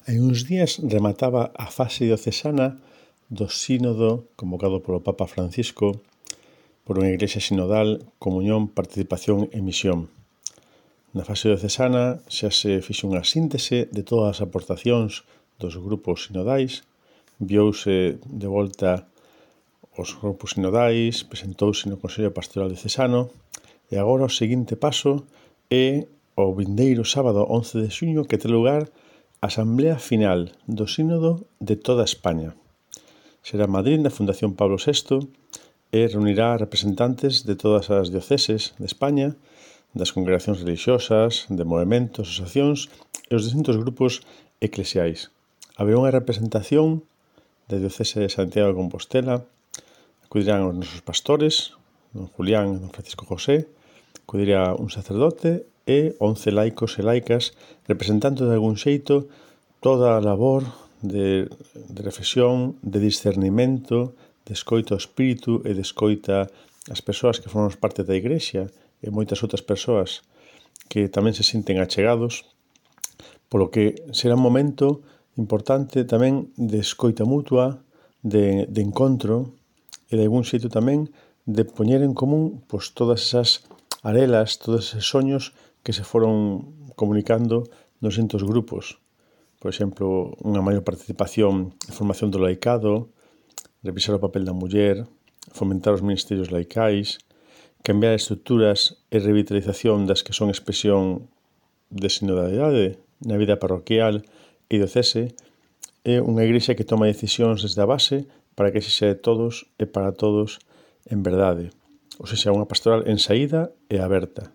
Hai uns días remataba a fase diocesana do sínodo convocado polo Papa Francisco por unha igrexa sinodal, comunión, participación e misión. Na fase diocesana xa se fixe unha síntese de todas as aportacións dos grupos sinodais, viouse de volta os grupos sinodais, presentouse no Consello Pastoral Diocesano e agora o seguinte paso é o vindeiro sábado 11 de xuño que ten lugar a Asamblea Final do Sínodo de toda España. Será en Madrid, na Fundación Pablo VI, e reunirá representantes de todas as dioceses de España, das congregacións religiosas, de movementos, asociacións e os distintos grupos eclesiais. Haberá unha representación da diocese de Santiago de Compostela, acudirán os nosos pastores, don Julián e don Francisco José, acudirá un sacerdote e 11 laicos e laicas representando de algún xeito toda a labor de reflexión, de discernimento, de escoita ao espírito e de escoita as persoas que formamos parte da Igrexa e moitas outras persoas que tamén se sinten achegados, polo que será un momento importante tamén de escoita mutua, de encontro e de algún xeito tamén de poñer en común todas esas arelas, todos eses soños que se foron comunicando nos distintos grupos. Por exemplo, unha maior participación en formación do laicado, revisar o papel da muller, fomentar os ministerios laicais, cambiar estruturas e revitalización das que son expresión de sinodalidade na vida parroquial e diocese, é unha igrexa que toma decisións desde a base para que sexa de todos e para todos en verdade. Ou seja, unha pastoral en saída e aberta.